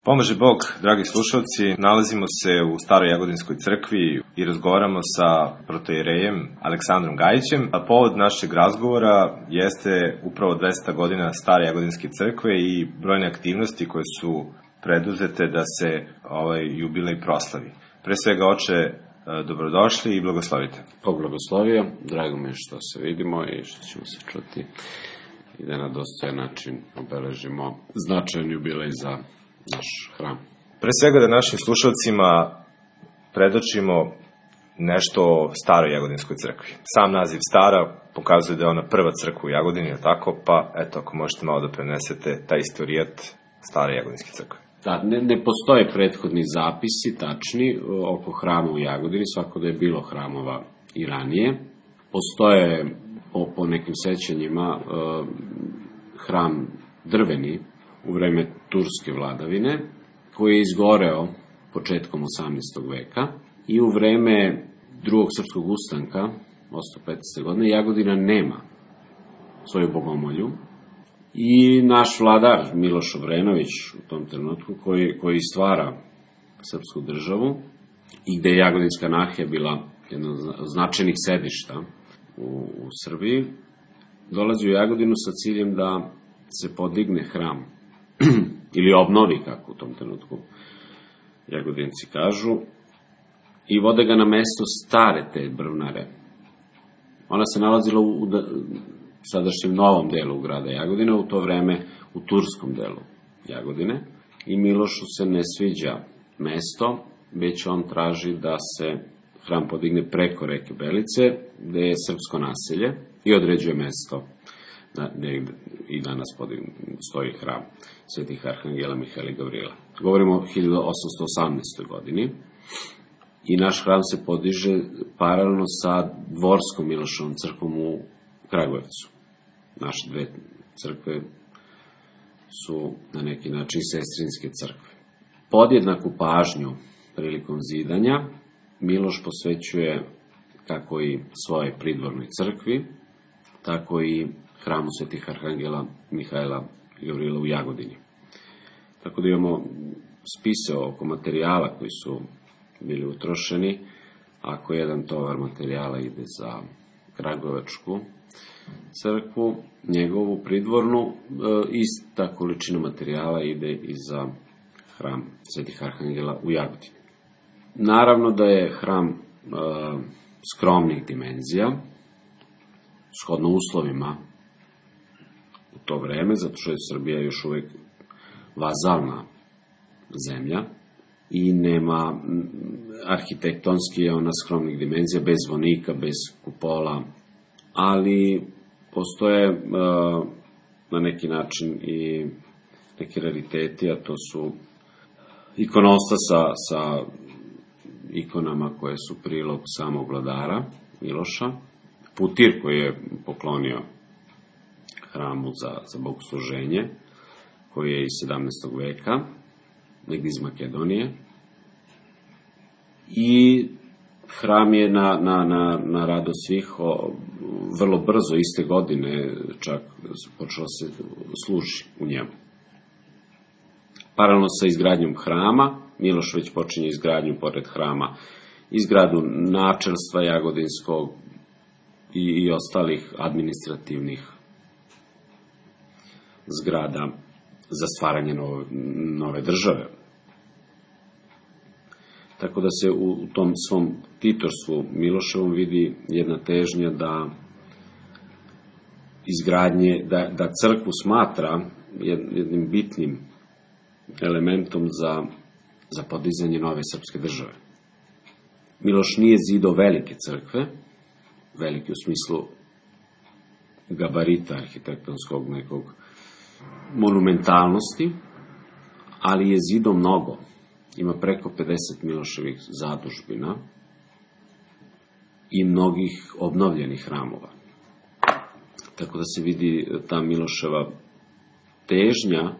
Pomaže Bog, dragi slušalci, nalazimo se u Staroj Jagodinskoj crkvi i razgovaramo sa protoijerejem Aleksandrom Gajićem, a povod našeg razgovora jeste upravo 200 godina Stare Jagodinske crkve i brojne aktivnosti koje su preduzete da se ovaj jubilej proslavi. Pre svega, oče, dobrodošli i blagoslovite. Bog blagoslovio, drago mi je što se vidimo i što ćemo se čuti i da na dostojan način obeležimo značajan jubilej za naš hram. Pre svega da našim slušalcima predočimo nešto o Staroj Jagodinskoj crkvi. Sam naziv Stara pokazuje da je ona prva crkva u Jagodini, je tako? Pa eto, ako možete malo da prenesete taj istorijat Stare Jagodinske crkve. Da, ne postoje prethodni zapisi tačni oko hrama u Jagodini, svako da je bilo hramova i ranije. Postoje po nekim sećanjima hram drveni u vreme turske vladavine, koji je izgoreo početkom 18. veka i u vreme drugog srpskog ustanka, 815. godine, Jagodina nema svoju bogomolju i naš vladar Miloš Obrenović u tom trenutku, koji stvara srpsku državu i gde je Jagodinska nahija bila jedna od značajnih sedišta u Srbiji, dolazi u Jagodinu sa ciljem da se podigne hram ili obnovi, kako u tom trenutku Jagodinci kažu, i vode ga na mesto stare te brvnare. Ona se nalazila u sadašnjem novom delu grada Jagodine, u to vreme u turskom delu Jagodine, i Milošu se ne sviđa mesto, već on traži da se hram podigne preko reke Belice, gde je srpsko naselje, i određuje mesto gde i danas stoji hram svetih arhangela Mihaila i Gavrila. Govorimo o 1818. godini i naš hram se podiže paralelno sa dvorskom Milošovom crkvom u Kragujevcu. Naše dve crkve su na neki način sestrinske crkve. Podjednaku pažnju prilikom zidanja Miloš posvećuje kako i svoje pridvornoj crkvi, tako i hramu svetih arhangela Mihaila i Gavrila u Jagodini. Tako da imamo spise oko materijala koji su bili utrošeni. Ako jedan tovar materijala ide za Kragujevačku crkvu, njegovu pridvornu, ista količina materijala ide i za hram svetih arhangela u Jagodini. Naravno da je hram skromnih dimenzija, shodno uslovima u to vreme, zato što je Srbija još uvek vazalna zemlja i nema arhitektonski je ona skromnih dimenzija, bez zvonika, bez kupola, ali postoje na neki način i neki rariteti, a to su ikonostas sa ikonama koje su prilog samog vladara Miloša, putir koji je poklonio hramu za bogosluženje, koji je iz 17. veka, negdje iz Makedonije, i hram je na radost svih vrlo brzo, iste godine, čak počelo se služi u njemu. Paralelno sa izgradnjom hrama, Miloš već počinje izgradnju pored hrama, izgradu načelstva Jagodinskog i ostalih administrativnih zgrada za stvaranje nove države. Tako da se u tom svom titorstvu Miloševom vidi jedna težnja da da crkvu smatra jednim bitnim elementom za podizanje nove srpske države. Miloš nije zidao velike crkve, velike u smislu gabarita arhitektonskog nekog monumentalnosti, ali je zidao mnogo. Ima preko 50 Miloševih zadužbina i mnogih obnovljenih hramova. Tako da se vidi ta Miloševa težnja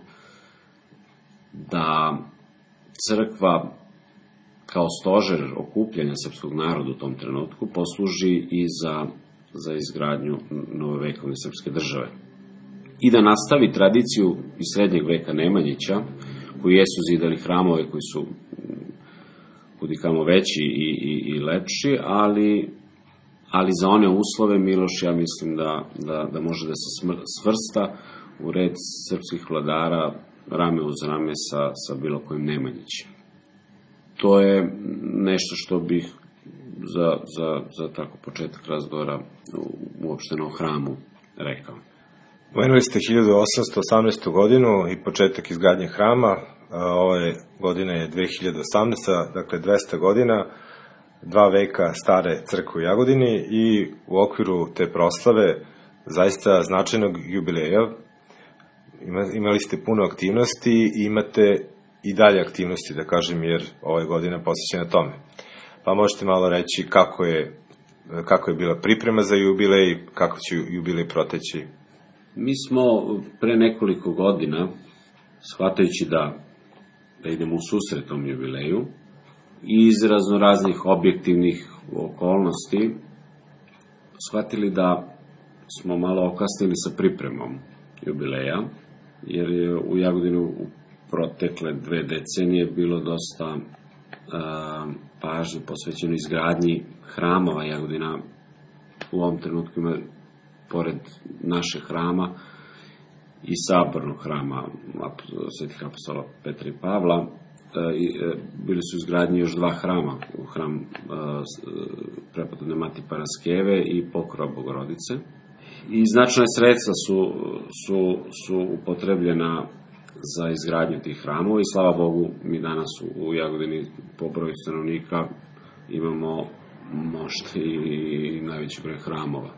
da crkva kao stožer okupljanja srpskog naroda u tom trenutku posluži i za izgradnju novovekovne srpske države. I da nastavi tradiciju iz srednjeg veka Nemanjića, koji jesu zidali hramove koji su kudikamo veći i lepši, ali za one uslove Miloš, ja mislim da može da se svrsta u red srpskih vladara rame uz rame sa bilo kojim Nemanjićem. To je nešto što bih za tako početak razgovora uopšteno o hramu rekao. Pomenuli ste 1818. godinu i početak izgradnje hrama. Ove godine je 2018. Dakle 200 godina, 2 veka stare crkve u Jagodini i u okviru te proslave zaista značajnog jubileja imali ste puno aktivnosti i imate i dalje aktivnosti, da kažem, jer ova godina posvećena tome. Pa možete malo reći kako je bila priprema za jubilej, kako će jubilej proteći? Mi smo pre nekoliko godina, shvatajući da idemo u susret tom jubileju, iz raznoraznih objektivnih okolnosti, shvatili da smo malo okasnili sa pripremom jubileja, jer je u Jagodinu u protekle 2 decenije bilo dosta pažnje posvećeno izgradnji hramova. Jagodina u ovom trenutku ima, pored našeg hrama i sabornog hrama svetih apostola Petra i Pavla, bili su izgradnji još 2 hrama, hram prepodobne Mati Paraskeve i Pokrova Bogorodice. I značajna sredstva su upotrebljena za izgradnju tih hramova i slava Bogu, mi danas u Jagodini po broju stanovnika imamo možda i najveći broj hramova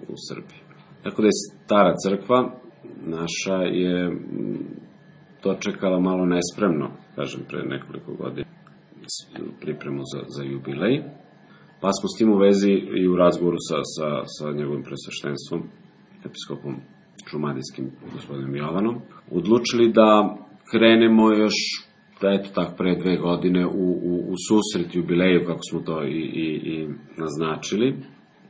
u Srbiji. Tako da je stara crkva naša je dočekala malo nespremno, kažem, pre nekoliko godina pripremu za jubilej, pa smo s tim u vezi i u razgovoru sa njegovim presveštenstvom, episkopom šumadijskim gospodinom Jovanom, odlučili da krenemo još, eto tako, pre 2 godine u susret jubileju, kako smo to i naznačili,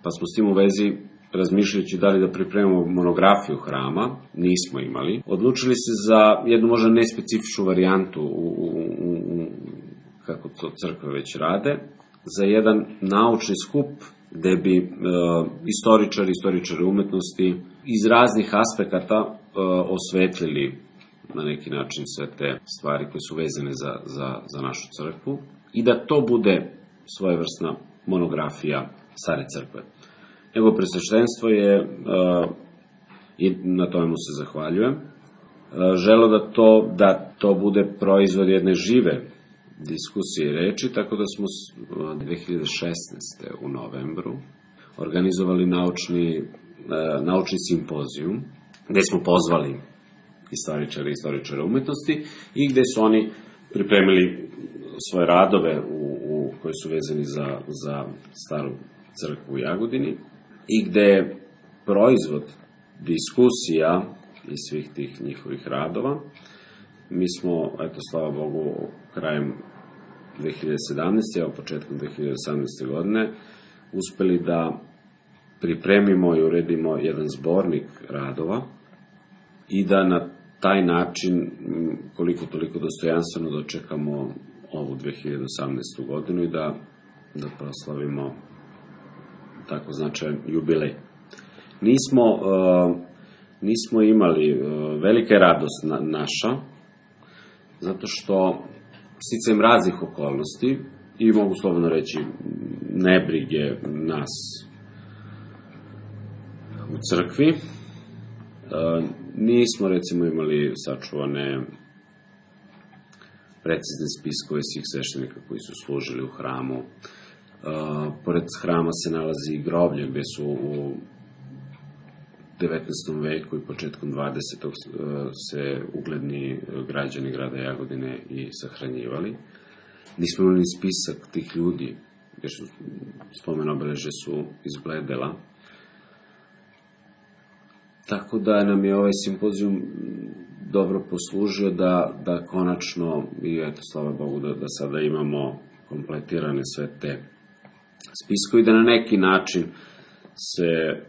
pa smo s tim u vezi, razmišljajući da li da pripremimo monografiju hrama, nismo imali. Odlučili se za jednu možda nespecifičnu varijantu kako to crkve već rade, za jedan naučni skup gde bi istoričari umetnosti iz raznih aspekata osvetlili na neki način sve te stvari koje su vezane za našu crkvu i da to bude svojevrsna monografija stare crkve. Njegovo presveštenstvo je, i na tome mu se zahvaljujem, želo da to bude proizvod jedne žive diskusije i reči, tako da smo 2016. u novembru organizovali naučni simpozijum, gde smo pozvali istoričare umetnosti i gde su oni pripremili svoje radove koji su vezani za staru crkvu u Jagodini i gde je proizvod diskusija iz svih tih njihovih radova. Mi smo, eto, slava Bogu, krajem 2017. a početkom 2018. godine uspeli da pripremimo i uredimo jedan zbornik radova i da na taj način koliko toliko dostojanstveno dočekamo ovu 2018. godinu i da proslavimo tako značajan jubilej. Nismo imali, velika je radost naša, zato što sticajem raznih okolnosti i mogu slobodno reći nebrige nas u crkvi, nismo recimo imali sačuvane precizne spiskove svih sveštenika koji su služili u hramu. Pored hrama se nalazi groblje gde su u 19. veku i početkom 20. se ugledni građani grada Jagodine i sahranjivali. Nismo imali spisak tih ljudi, jer spomen obeležja su izbledela. Tako da nam je ovaj simpozijum dobro poslužio da konačno, i eto, slava Bogu, da sada imamo kompletirane sve te spiskove i da na neki način se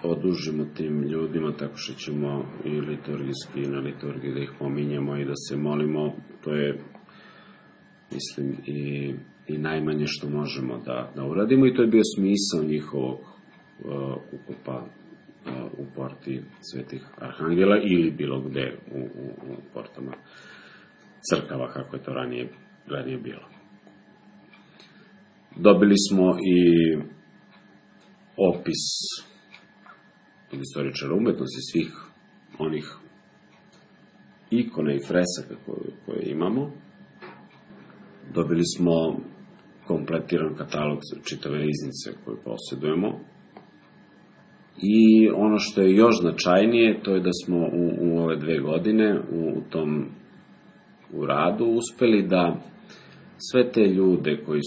odužimo tim ljudima tako što ćemo i liturgijski i na liturgiji da ih pominjemo i da se molimo. To je, mislim, i najmanje što možemo da uradimo, i to je bio smisao njihovog ukopa u porti Svetih Arhangela ili bilo gde u portama crkava, kako je to ranije bilo. Dobili smo i opis od istoričara umetnosti svih onih ikona i fresaka koje imamo. Dobili smo kompletiran katalog čitave riznice koju posjedujemo. I ono što je još značajnije, to je da smo u ove 2 godine u radu uspeli da sve te ljude koji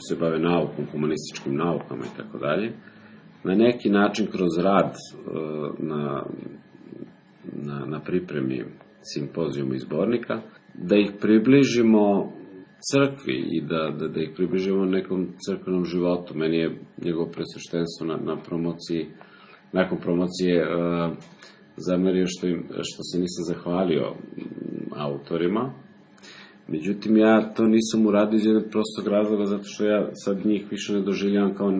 se bave naukom, humanističkim naukama i tako dalje, na neki način kroz rad na pripremi simpozijuma i zbornika, da ih približimo crkvi i da ih približimo nekom crkvenom životu. Meni je njegovo presveštenstvo nakon promocije zamerio što se nisam zahvalio autorima. Međutim, ja to nisam uradio iz jednog prostog razloga, zato što ja sad njih više ne doživljavam kao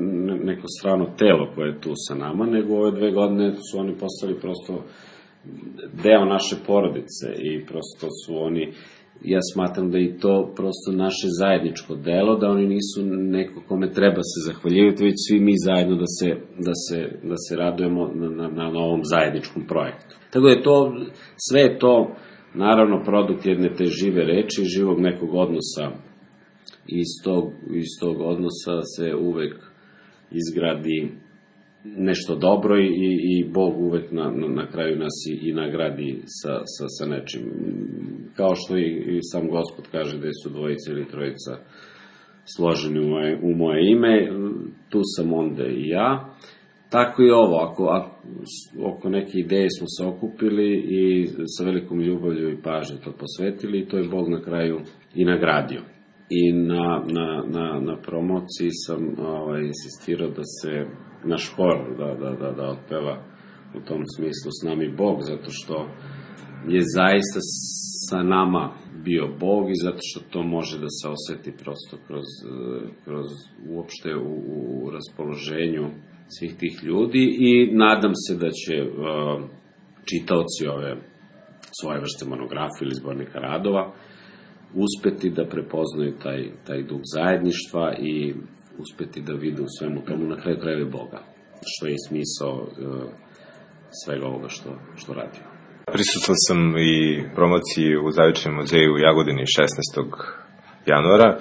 neko strano telo koje je tu sa nama, nego ove 2 godine su oni postali prosto deo naše porodice i prosto su oni, ja smatram da i to prosto naše zajedničko delo, da oni nisu neko kome treba se zahvaljivati, već svi mi zajedno da se radujemo na ovom zajedničkom projektu. Tako da je to, sve je to naravno produkt jedne te žive reči, živog nekog odnosa, i iz tog odnosa se uvek izgradi nešto dobro i Bog uvek na kraju nas i nagradi sa nečim. Kao što i sam Gospod kaže da su 2 ili 3 složeni u moje ime, tu sam onda i ja. Tako i ovo, oko neke ideje smo se okupili i sa velikom ljubavlju i pažnje to posvetili, i to je Bog na kraju i nagradio. I na promociji sam insistirao da se naš hor da otpeva u tom smislu S nami Bog, zato što je zaista sa nama bio Bog i zato što to može da se oseti prosto kroz uopšte u raspoloženju svih tih ljudi, i nadam se da će čitaoci ove svoje vrste monografije ili zbornika radova uspeti da prepoznaju taj duh zajedništva i uspeti da vide u svemu tomu na kraju krajeva Boga, što je smisao svega ovoga što radimo. Prisutan sam i promociji u Zavičnom muzeju u Jagodini 16. januara.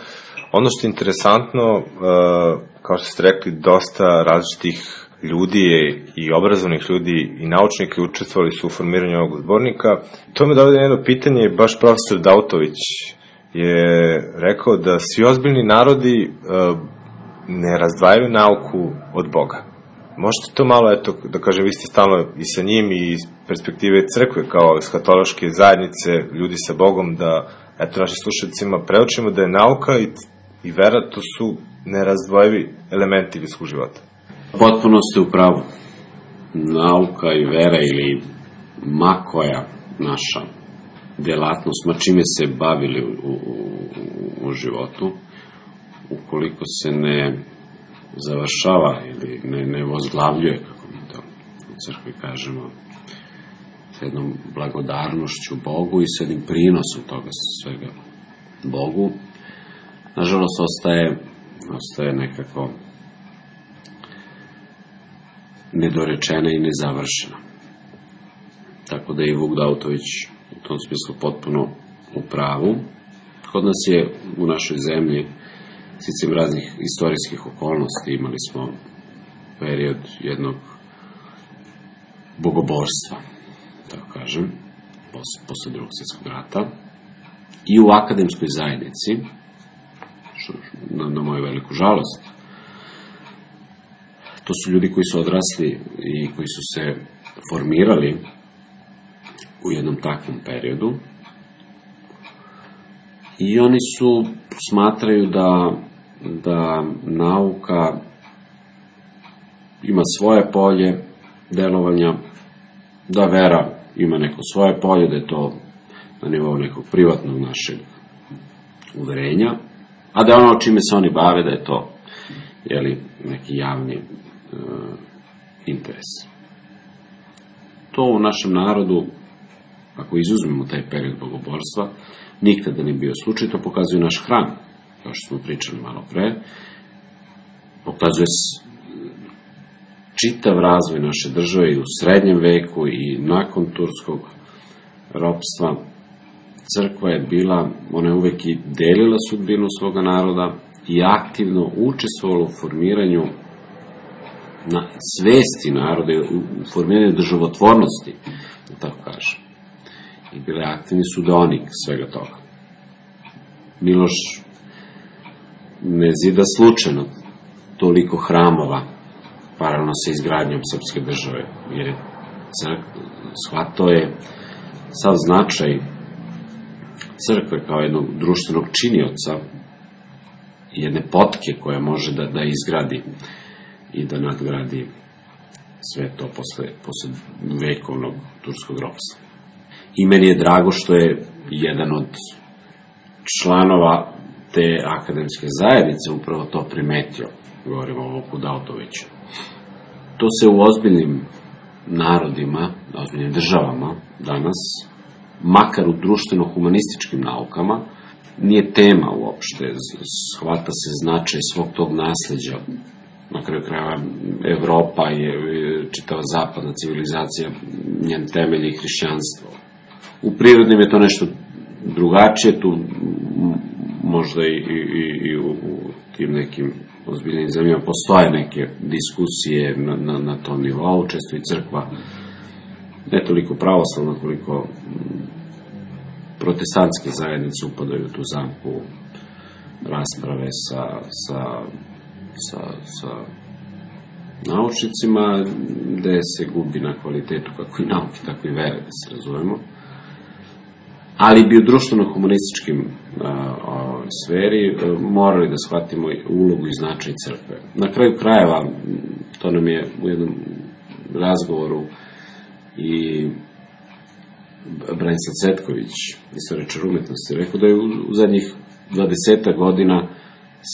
Ono što je interesantno, kao što ste rekli, dosta različitih ljudi i obrazovnih ljudi i naučnika učestvovali su u formiranju ovog zbornika. To me dovede jedno pitanje, baš profesor Dautović je rekao da svi ozbiljni narodi ne razdvajaju nauku od Boga. Možete to malo, da kažem, vi ste stalno i sa njim i iz perspektive crkve kao eschatološke zajednice, ljudi sa Bogom, da našim slušalicima preučimo da je nauka i vera, to su nerazdvojivi elementi ljudskog života. Potpuno ste u pravu. Nauka i vera ili ma koja naša delatnost, ma čime se bavili u životu, ukoliko se ne završava ili ne vozglavljuje, kako mi to u crkvi kažemo, s jednom blagodarnošću Bogu i s jednim prinosom toga svega Bogu, nažalost ostaje nekako nedorečena i nezavršena. Tako da je i Vuk Dautović u tom smislu potpuno u pravu. Kod nas je u našoj zemlji sticam raznih istorijskih okolnosti, imali smo period jednog bogoborstva, tako kažem, posle Drugog svjetskog rata, i u akademskoj zajednici, na moju veliku žalost, to su ljudi koji su odrasli i koji su se formirali u jednom takvom periodu, i oni smatraju da nauka ima svoje polje delovanja, da vera ima neko svoje polje, da je to na nivou nekog privatnog našeg uverenja, a da ono čime se oni bave, da je to neki javni interes. To u našem narodu, ako izuzmemo taj period bogoborstva, nikada nije bio slučaj. To pokazuje naš hram, kao što smo pričali malo pre, pokazuje čitav razvoj naše države i u srednjem veku i nakon turskog ropstva. Crkva je bila, ona je uvek i delila sudbinu svoga naroda i aktivno učestvovala u formiranju na svesti naroda, u formiranju državotvornosti, da tako kažem. I bila je aktivni sudionik svega toga. Miloš ne zida slučajno toliko hramova paralelno sa izgradnjom srpske države, jer je shvatao je sav značaj crkve kao jednog društvenog činioca i jedne potke koja može da izgradi i da nadgradi sve to posle vekovnog turskog ropstva. I meni je drago što je jedan od članova te akademske zajednice upravo to primetio, govorimo o Vuku Dautoviću. To se u ozbiljnim narodima, ozbiljnim državama danas, makar u društveno-humanističkim naukama, nije tema uopšte, shvata se značaj svog tog nasleđa. Na kraju krajeva Evropa je čitava zapadna civilizacija, njen temelj je hrišćanstvo. U prirodnim je to nešto drugačije, tu možda i u tim nekim ozbiljnim zemljama postoje neke diskusije na tom nivou, često i crkva, ne toliko pravoslavna koliko protestantske zajednice upadaju u tu zamku rasprave sa naučnicima, gde se gubi na kvalitetu kako i nauke, tako i vere, da se razumemo. Ali bi u društveno-humanističkim sferi morali da shvatimo ulogu i značaj crkve. Na kraju krajeva, to nam je u jednom razgovoru i Branislav Cvetković, istoričar umetnosti, rekao da je u zadnjih 20 godina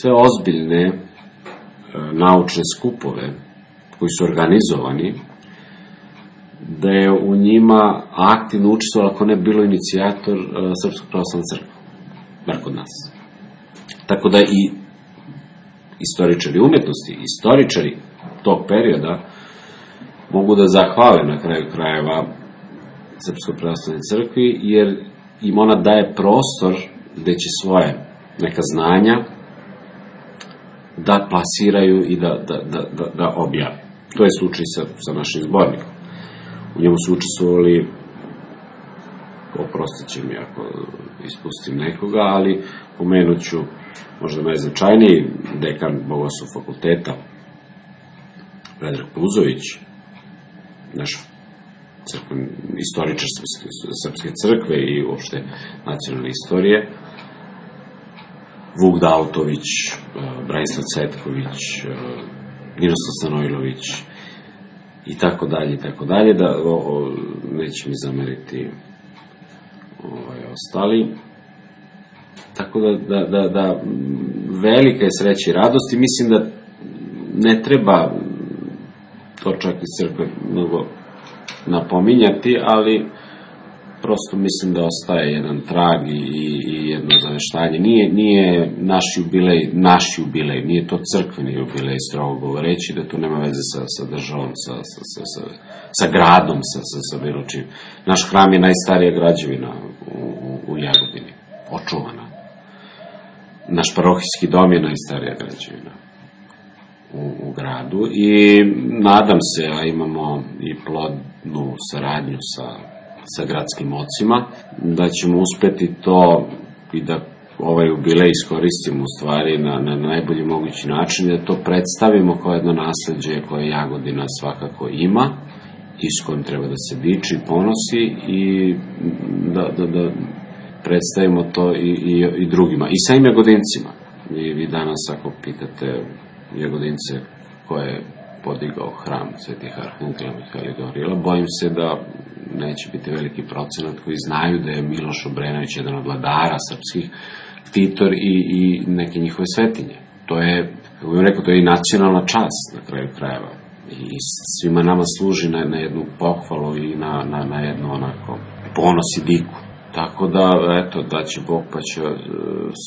sve ozbiljne naučne skupove koji su organizovani, da je u njima aktivno učestvovalo, ako ne bilo inicijator, Srpska pravoslavna crkva, bar kod nas. Tako da i istoričari umetnosti, istoričari tog perioda mogu da zahvale na kraju krajeva Srpskoj pravoslavnoj crkvi, jer im ona daje prostor gde će svoje neka znanja da plasiraju i da objave. To je slučaj sa našim zbornikom. U njemu su učestvovali, oprostit će mi ako ispustim nekoga, ali pomenut ću možda najznačajniji dekan Bogoslovskog fakulteta, Predrag Puzović, naš istoričar Srpske crkve i uopšte nacionalne istorije, Vuk Dautović, Branislav Cvetković, Ninoslav Stanojlović i tako dalje, da neće mi zameriti ostali. Tako da velika je sreća i radost i mislim da ne treba to čak iz crkve mnogo napominjati, ali prosto mislim da ostaje jedan trag i jedno zaveštanje. Nije naš jubilej, nije to crkveni jubilej, strogo govoreći, da tu nema veze sa državom, sa gradom, sa bilo čim. Naš hram je najstarija građevina u Jagodini, očuvana. Naš parohijski dom je najstarija građevina u gradu i nadam se, a imamo i plodnu saradnju sa gradskim ocima, da ćemo uspeti to i da ovaj jubilej iskoristimo u stvari na najbolji mogući način, da to predstavimo kao jedno nasleđe koje Jagodina svakako ima i s kojim treba da se diči i ponosi i da predstavimo to i drugima. I samim Jagodincima. Vi danas ako pitate Jagodince ko je podigao hram Svetih Arhangela Mihaila i Gavrila, bojim se da neće biti veliki procenat koji znaju da je Miloš Obrenović jedan od vladara srpskih, ktitor i neke njihove svetinje. To je, kako bih rekao, to je i nacionalna čast na kraju krajeva. I svima nama služi na jednu pohvalu i na jednu onako ponos i diku. Tako da, eto, da će Bog pa će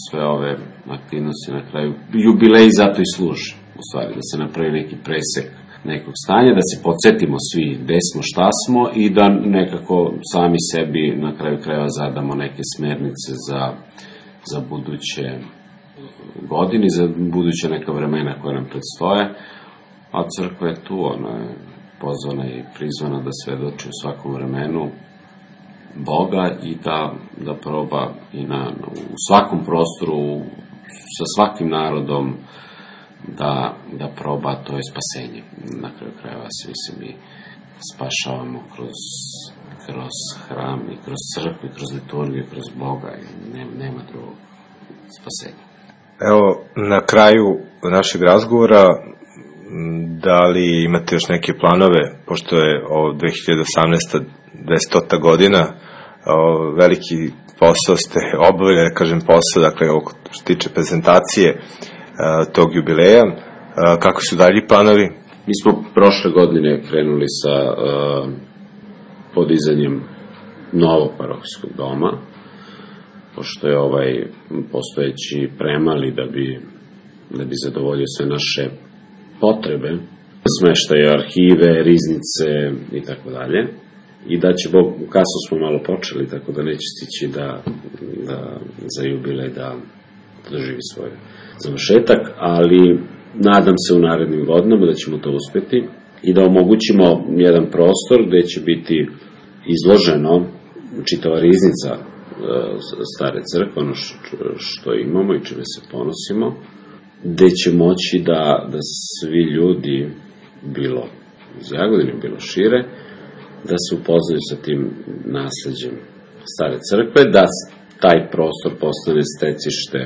sve ove aktivnosti na kraju, jubileji zato i služi, u stvari, da se napravi neki presek nekog stanja, da se podsjetimo svi gde smo, šta smo i da nekako sami sebi na kraju krajeva zadamo neke smernice za buduće godine, za buduće neka vremena koja nam predstoje, a crkva je tu, ona je pozvana i prizvana da svedoči u svakom vremenu Boga i da proba i u svakom prostoru, sa svakim narodom, da proba, to je spasenje. Na kraju krajeva svi se mi spašavamo kroz hram i kroz crkvu, kroz liturgiju, kroz Boga i nema drugog spasenja. Evo, na kraju našeg razgovora, da li imate još neke planove, pošto je 2018. 200. godina, veliki posao ste obavili, da kažem posao, dakle, što se tiče prezentacije tog jubileja, kako su dalji planovi? Mi smo prošle godine krenuli sa podizanjem novog parohijskog doma, pošto je ovaj postojeći premali da bi zadovoljio sve naše potrebe, smeštaje arhive, riznice i tako dalje. I da će Bog, kasno smo malo počeli, tako da neće stići da za jubilej da doživi svoj završetak, ali nadam se u narednim godinama da ćemo to uspeti i da omogućimo jedan prostor gde će biti izloženo čitava riznica stare crkve, ono što imamo i čime se ponosimo, gde će moći da svi ljudi, bilo iz Jagodine, bilo šire, da se upoznaju sa tim nasleđem stare crkve, da taj prostor postane stecište,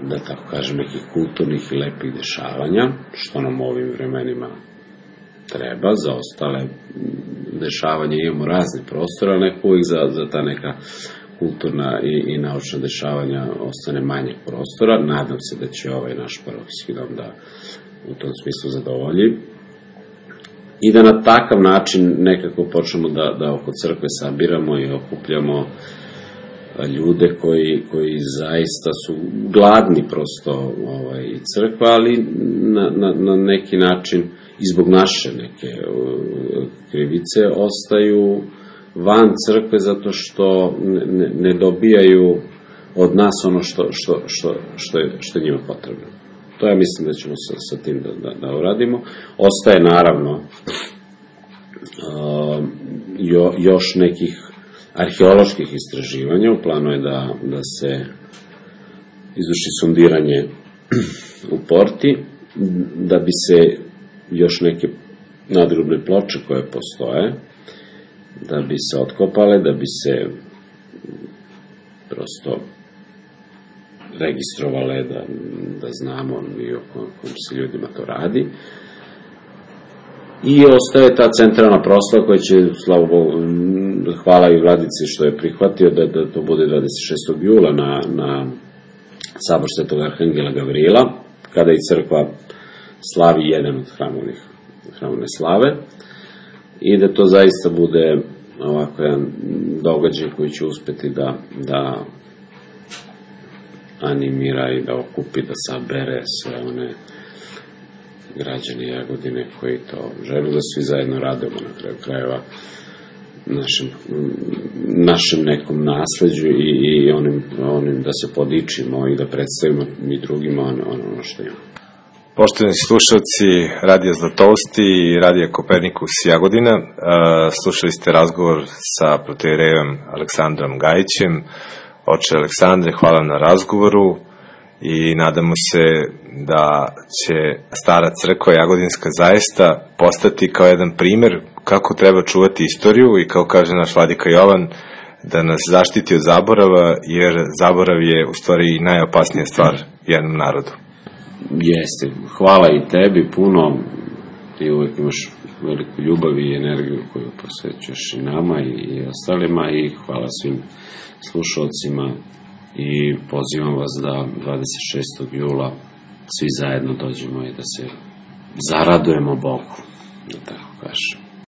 da tako kažem, nekih kulturnih i lepih dešavanja, što nam u ovim vremenima treba. Za ostale dešavanja imamo razne prostore, ali neko uvijek za ta neka kulturna i naučna dešavanja ostane manje prostora. Nadam se da će ovaj naš parohijski dom da u tom smislu zadovolji i da na takav način nekako počnemo da oko crkve sabiramo i okupljamo ljude koji zaista su gladni prosto crkva, ali na neki način i zbog naše neke krivice ostaju van crkve zato što ne dobijaju od nas ono što je njima potrebno. To ja mislim da ćemo sa tim da uradimo. Ostaje naravno još nekih arheoloških istraživanja. U planu je da se izvrši sondiranje u Porti, da bi se još neke nadgrobne ploče koje postoje, da bi se otkopale, da bi se prosto registrovale, da znamo i o kom se ljudima to radi. I ostaje ta centralna proslava koja će, slava Bogu, hvala i vladici što je prihvatio da to bude 26. jula na sabor Svetog Arhangela Gavrila, kada i crkva slavi jedan od hramovne slave, i da to zaista bude ovako jedan događaj koji će uspeti da animira i da okupi, da sabere sve one građani Jagodine koji to žele, da svi zajedno radimo na kraju krajeva našem nekom nasleđu i onim da se podičimo i da predstavimo mi drugima ono što imamo. Poštovani slušalci Radija Zlatovosti i Radija Kopernikus Jagodina, slušali ste razgovor sa protoijerejem Aleksandrom Gajićem. Oče Aleksandre, hvala na razgovoru i nadamo se da će stara crkva Jagodinska zaista postati kao jedan primer kako treba čuvati istoriju i, kao kaže naš vladika Jovan, da nas zaštiti od zaborava, jer zaborav je u stvari najopasnija stvar jednom narodu. Jeste. Hvala i tebi puno ti uvek imaš veliku ljubav i energiju koju posvećuješ i nama i ostalima, i hvala svim slušalcima i pozivam vas da 26. jula svi zajedno dođemo i da se zaradujemo Bogu, da tako kažem.